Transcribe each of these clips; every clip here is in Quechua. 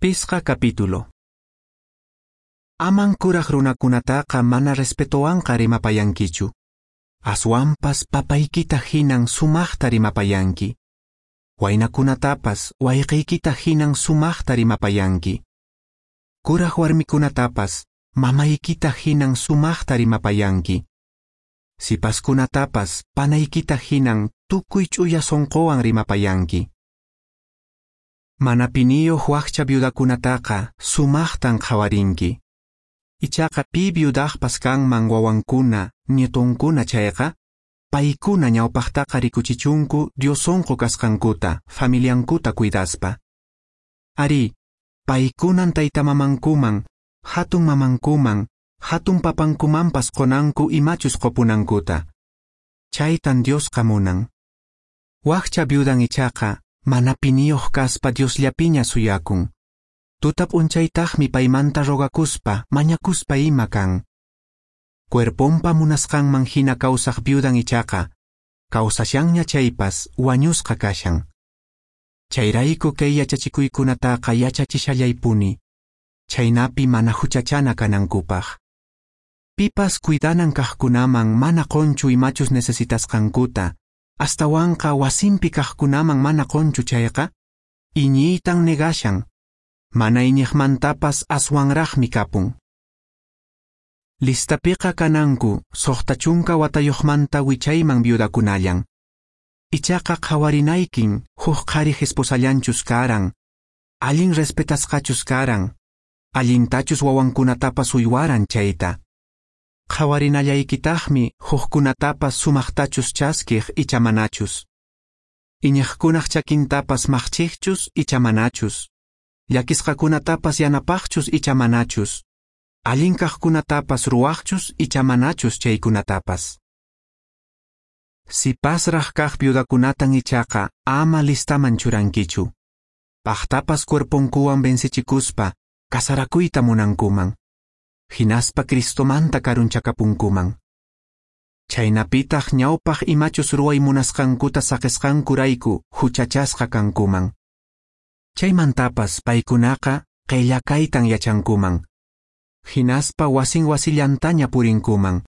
Pisqa capítulo. Aman kuraq runakunataqa mana respetowanqa rimapayankichu. Aswanpas papaykita hinan sumaqta rimapayanki. Waynakunatapas wayqiykita hinan sumaqta rimapayanki. Kuraq warmikunatapas mamaykita hinan sumaqta rimapayanki. Sipaskunatapas panaykita hinan tukuy ch'uya sonqowan rimapayanki. Mana piniyuq wakcha viudakunataqa sumaqtan qhawarinki. Ichaqa pi viudaqpas kanman wawankuna, nietonkuna chayqa, paykuna ñawpaqtaqa rikuchichunku Dios sonqo kasqankuta, familiankuta cuidaspa. Ari, paykunan taytamamankuman, hatun mamankuman, hatun papankumanpas qonanku imachus qopunankuta. Chaytan Diosqa munan. Wakcha viudan ichaqa, mana piniyuq kaspa Diosllapiña suyakun. Tuta p'unchaytaqmi paymanta rogakuspa, mañakuspa ima kan. Cuerponpa munasqanman hina kawsaq viudan ichaqa, kawsashanña chaypas wañusqa kashan. Chayrayku kay yachachikuykunataqa yachachishallaypuni, chaynapi mana huchachana kanankupaq. Pipas cuidanan kaqkunaman mana qonchu imachus necesitasqankuta, astawanqa wasinpi kaqkunaman mana qonchu chayqa, iñiytan negashan, mana iñiqmantapas aswanraqmi kapun. Listapiqa kananku 60 watayuqmanta wichayman viudakunallan. Ichaqa qhawarinaykin huk qhariq esposallanchus karan, allin respetasqachus karan, allintachus wawankunatapas uywaran chayta. Qhawarinallaykitaqmi hukkunatapas sumaqtachus chaskiq icha manachus. Iñiqkunaq chakintapas maqchiqchus icha manachus. Llakisqakunatapas yanapaqchus icha manachus. Allin kaqkunatapas ruwaqchus icha manachus chaykunatapas. Sipasraq kaq viudakunatan ichaqa ama listaman churankichu. Paqtapas cuerponkuwan vencechikuspa kasarakuyta munankuman. Hinaspa Cristomanta karunchakapunkuman. Chaynapitaq ñawpaq imachus ruway munasqankuta saqisqankurayku huchachasqa kankuman. Chaymantapas paykunaqa qillakaytan yachankuman. Hinaspa wasin wasillantaña purinkuman.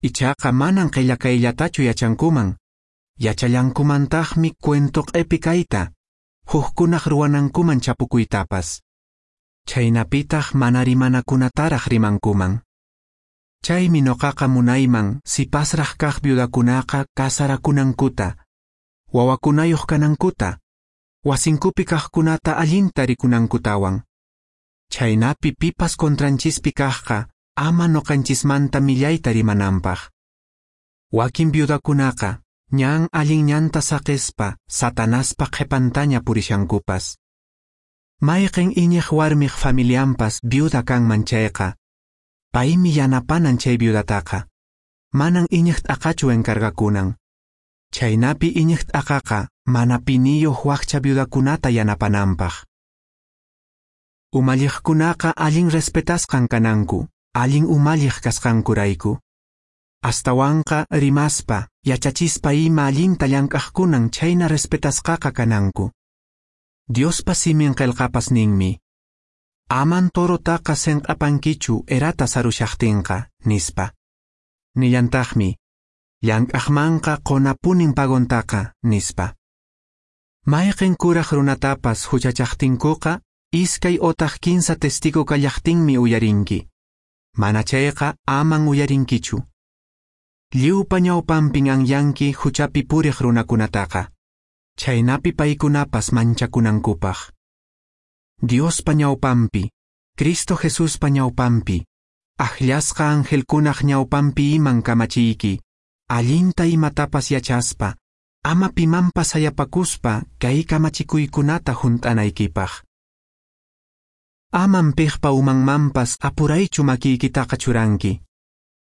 Ichaqa manan qillakayllatachu yachankuman. Yachallankumantaqmi cuento q'epi kayta, hukkunaq ruwanankuman chapukuytapas. Chaynapitaq mana rimanakunataraq rimankuman. Chaymi noqaqa munayman sipasraq kaq viudakunaqa kasarakunankuta, wawakunayuq kanankuta, wasinkupi kaqkunata allinta rikunankutawan. Chaynapi pipas contranchispi kaqqa ama noqanchismanta millayta rimananpaq. Wakin viudakunaqa ñan allin ñanta saqispa Satanaspa qhipantaña purishankupas. Mayqin iñiq warmiq familianpas viuda kanman chayqa, paymi yanapanan chay viudataqa, manan iñiq t'aqachu encargakunan. Chaynapi iñiq t'aqaqa mana piniyuq wakcha viudakunata yanapananpaq. Umalliqkunaqa allin respetasqan kananku, allin umalliq kasqankurayku. Astawanqa rimaspa, yachachispa ima allinta llank'aqkunan chayna respetasqaqa kananku. Diospa simin qillqapas ninmi: Aman torotaqa senq'apankichu erata sarushaqtinqa, nispa. Nillantaqmi: Llank'aqmanqa qonapunin pagontaqa, nispa. Mayqin kuraq runatapas huchachaqtinkuqa, iskay otaq 15 testigo kallaqtinmi uyarinki. Mana chayqa aman uyarinkichu. Lliwpa ñawpanpin anyanki huchapi puriq runakunataqa. Chaynapi paykunapas manchakunankupaq. Diospa ñawpanpi, Cristo Jesuspa ñawpanpi, akllasqa angelkunaq ñawpanpi iman kamachiyki, allinta imatapas yachaspa, ama pimanpas sayapakuspa kay kamachikuykunata hunt'anaykipaq. Aman piqpa umanmanpas apuraychu makiykitaqa churanki.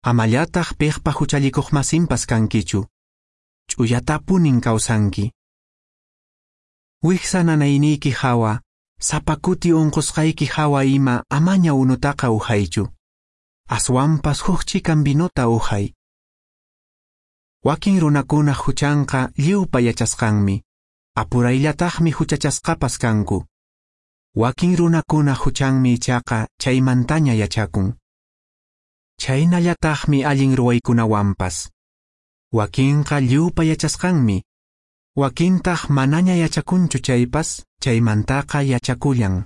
Amallataq piqpa huchallikuqmasinpas kankichu. Ch'uyatapunin kawsanki. Wiksa nanayniyki hawa, sapa kuti unqusqayki hawa ima amaña unutaqa uhaychu. Aswanpas huk chikan vinota uhay. Wakin runakunaq huchanqa lliwpa yachasqanmi. Apurayllataqmi huchachasqapas kanku. Wakin runakunaq huchanmi ichaqa chaymantaña yachakun. Chhaynallataqmi allin ruwaykunawanpas. Wakinqa lliwpa yachasqanmi, wakintaq manaña yachakunchu chaypas, chaymantaqa yachakullan.